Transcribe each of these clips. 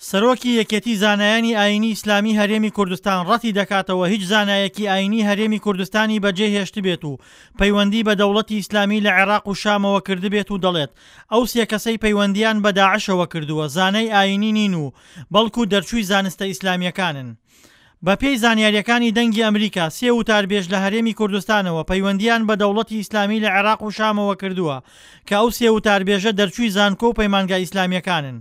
سەرۆکی یەکێتی زانایانی ئایینی ئیسلامی هەرێمی کوردستان ڕەتی دەکاتەوە هیچ زانایەکی ئایینی هەرێمی کوردستانی بەجێ هێشتبێت و پەیوەندی بە دەوڵەتی ئیسلامی لە عێراق و شامەوە کردبێت و دەڵێت ئەو سێ کەسەی پەیوەندییان بە داعشەوە کردووە زانای ئایینی نین و بەڵکو دەرچووی زانستە ئیسلامییەکانن. بەپێی زانیارییەکانی دەنگی ئەمریکا، سێ وتاربێژ لە هەرێمی کوردستانەوە پەیوەندییان بە دەوڵەتی ئیسلامی لە عێراق و شامەوە کردووە کە ئەو سێ وتاربێژە دەرچووی زانکۆ و پەیمانگا ئیسلامییەکانن.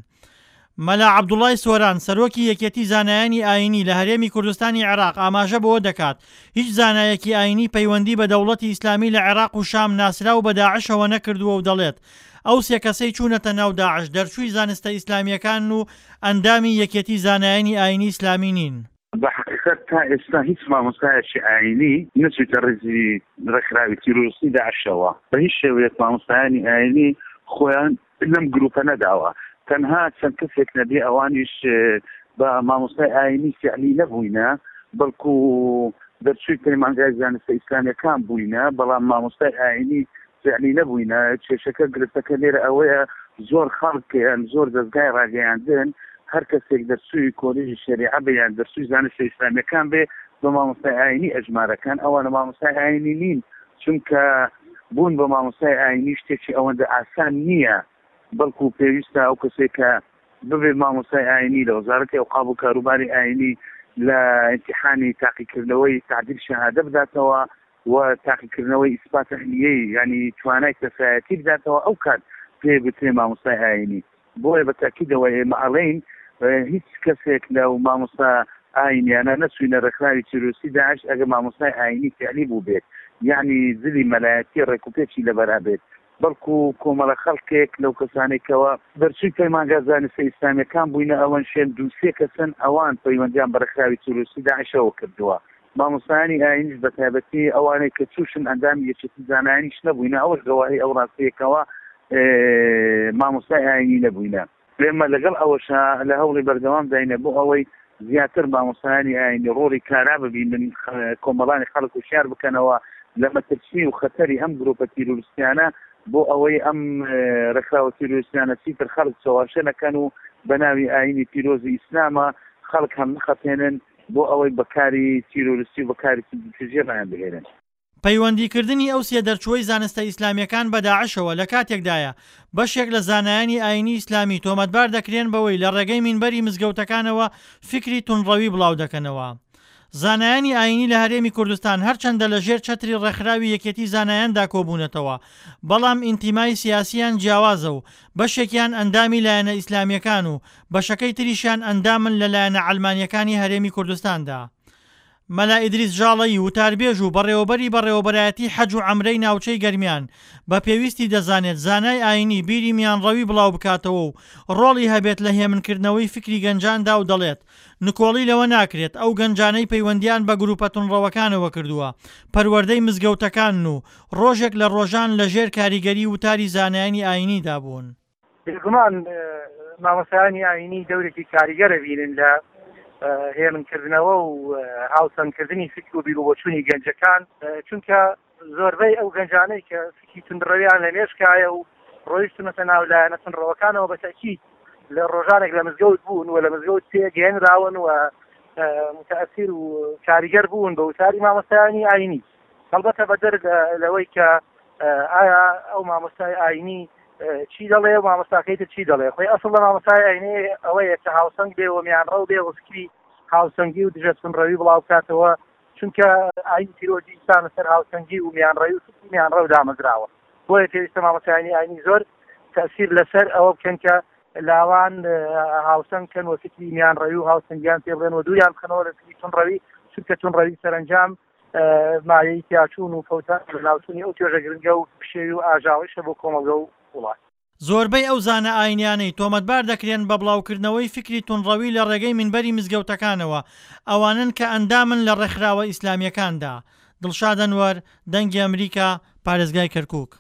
مەلا عەبدوڵای سۆران، سەرۆکی یەکێتی زانایانی ئایینی لە هەرێمی کوردستانی عێراق ئاماژە بەوە دەکات، هیچ زانایەکی ئایینی پەیوەندی بە دەوڵەتی ئیسلامی لە عێراق و شام ناسراو بە داعشەوە نەکردووە و دەڵێت، ئەو سێ کەسەی چوونەتە ناو داعش دەرچووی زانستە ئیسلامییەکانن و ئەندامی یەکێتی زانایانی ئایینی ئیسلامی نین. بە حەقیقەت تا ئێستا هیچ مامۆستایەکی ئایینی نەچوویتە ڕیزی ڕێکخراوی تیرۆریستی داعشەوە. بە هیچ شێوەیەک مامۆستایانی ئایینی خۆیان لەم گروپە نەداوە. تەنها چەند کەسێک نەبێ ئەوانیش بە مامۆستای ئایینی فیعلی نەبووینە، بەڵکو دەرچووی پەیمانگای زانستە ئیسلامیەکان بووینە، بەڵام مامۆستای ئایینی فیعلی نەبووینە. کێشەکە گرفتەکە لێرە ئەوەیە زۆر خەڵک یان زۆر دەزگای ڕاگەیاندن هەر کەسێک دەرچووی کۆلێژی شەریعە بێ یان دەرچووی زانستە ئیسلامیەکان بێ بە مامۆستای ئایینی ئەژمارەکەن، ئەوانە مامۆستای ئایینی نین، چونکە بوون بە مامۆستای ئایینی شتێکی ئەوەندە ئاسان نییە، بەڵکو پێویستە ئەو کەسێک کە ببێت مامۆستای ئایینی لە وەزارەتی ئەوقاف و کاروباری ئایینی لە ئیمتیحانی تاقیکردنەوەی تعدیل شەهادە بداتەوە و تاقیکردنەوەی ئیسپات ئەهلیەی یانی توانای کەسایەتی بداتەوە ئەو کات پێی گوترێ مامۆستای ئایینی. بۆیە بە تەئکیدەوە ئێمە ئەڵێین هیچ کەسێک لەو مامۆستا ئاینیانە نەچوینە ڕێکخراوی تیرۆریستی داعش ئەگەر مامۆستای ئاینی فیعلی بووبێت یەعنی جلی مەلایەتی ڕێکوپێکی لەبەرا بێت بەڵکو کۆمەڵە خەڵکێک لەو کەسانەی کەوا دەرچووی پەیمانگا زانستە ئیسلامیەکان بووینە ئەوەن شێن دوو سێ کەسن ئەوان پەیوەندیان بە ڕێکخراوی تیرۆریستی داعشەوە کردووە مامۆستایانی ئاینیش بە تایبەتی ئەوانەی کە چووشن ئەندامی یەکێتی زانایانیش نەبووینە ئەوەش گەواهی ئەو ڕاستیە کەوا مامۆستای ئاینی نەبووینە. ئێمە لەگەڵ ئەوەشا لە هەوڵی بەردەوام داینە بۆ ئەوەی زیاتر مامۆستایانی ئاینی ڕۆڵی کارا ببینن، کۆمەڵانی خەڵک هوشیار بکەنەوە لە مەترسی و خەتەری ئەم گروپە تیرۆریستیانە بۆ ئەوەی ئەم ڕێکخراوە تیرۆریستیانە چیتر خەڵک چەواشە نەکەن و بە ناوی ئاینی پیرۆزی ئیسلامە خەڵک هەم نەخەپێنن بۆ ئەوەی بە کاری تیرۆریستی و بە کاری توندوتیژی ڕایان بهێنن. پەیوەندیکردنی ئەو سێ دەرچووەی زانستە ئیسلامییەکان بە داعشەوە لە کاتێکدایە، بەشێک لە زانایانی ئایینی ئیسلامی تۆمەتبار دەکرێن بەوەی لە ڕێگەی مینبەری مزگەوتەکانەوە فیکری توندڕەوی بڵاودەکەنەوە. زانایانی ئایینی لە هەرێمی کوردستان هەرچەندە لە ژێر چەتری ڕێکخراوی یەکێتی زانایاندا کۆبوونەتەوە، بەڵام ئینتیمای سیاسییان جیاوازە و بەشێکیان ئەندامی لایەنە ئیسلامییەکان و بەشەکەی تریشیان ئەندامن لە لایەنە عەلمانییەکانی هەرێمی کوردستاندا. مەلا ئیدریس ژاڵەیی وتاربێژ و بەڕێوەبەری بەڕێوەبەرایەتی حەج و عەمرەی ناوچەی گەرمیان بە پێویستی دەزانێت زانای ئاینی بیری میانڕەوی بڵاوبکاتەوە و ڕۆڵی هەبێت لە هێمنکردنەوەی فیکری گەنجاندا و دەڵێت نکۆڵی لەوە ناکرێت ئەو گەنجانەی پەیوەندیان بە گروپە توندڕەوەکانەوە کردووە پەروەردەی مزگەوتەکانن و ڕۆژێک لە ڕۆژان لە ژێر کاریگەری وتاری زانایانی ئاینیدا بوون. بێگومان مامۆستایانی ئایینی دەورێکی کاریگەر ئەبینن لە هێمنکردنەوە و هاوسەنگکردنی فکر و بیروبۆچوونی گەنجەکان، چونکە زۆربەی ئەو گەنجانەی کە فکری توندڕەویان لە مێشکایە و ڕۆیشتونەتە ناو لایەنە توندڕەوەکانەوە بە تەئکید لە ڕۆژانێک لە مزگەوت بوون و لە مزگەوت پێگەیەنراون و متەئسیر و کاریگەر بوون بە وتاری مامۆستایانی ئایینی. هەڵبەتە بەدەر لەوەی کە ئایا ئەو مامۆستای ئاینی چی دەڵێ و مامۆستاکەی تر چی دەڵێ خۆی ئەسڵ لە مامۆستای ئاینی ئەوەیە کە هاوسەنگ بێ و میانڕەو بێ و فکری هاوسەنگی و دژە توندڕەوی بڵاو بکاتەوە چونکە ئاین پیرۆزی ئیسلام لەسەر هاوسەنگی و میانڕەوی و فکری میانڕەو دامەزراوە بۆیە پێویستە مامۆستایانی ئاینی زۆر تەسیر لەسەر ئەوە بکەن کە لاوان هاوسەنگ کەن و فکری میانڕەوی و هاوسەنگیان پێ بڵێن و دووریان بخەنەوە لە فکری توندڕەوی چونکە توندڕەوی سەرەنجام مایەی تیاچوون و فەوتان و لەناوچوونی ئەو توێژە گرنگە و پشێوی و ئاژاوەیشە بۆ کۆمەڵگە و وڵات. زۆربەی ئەو زانا ئاینیانەی تۆمەتبار دەکرێن بە بڵاوکردنەوەی فیکری توندڕەوی لە ڕێگەی مینبەری مزگەوتەکانەوە، ئەوانەن کە ئەندامن لە ڕێکخراوە ئیسلامییەکاندا. دڵشاد ئەنوەر، دەنگی ئەمریکا، پارێزگای کەرکوک.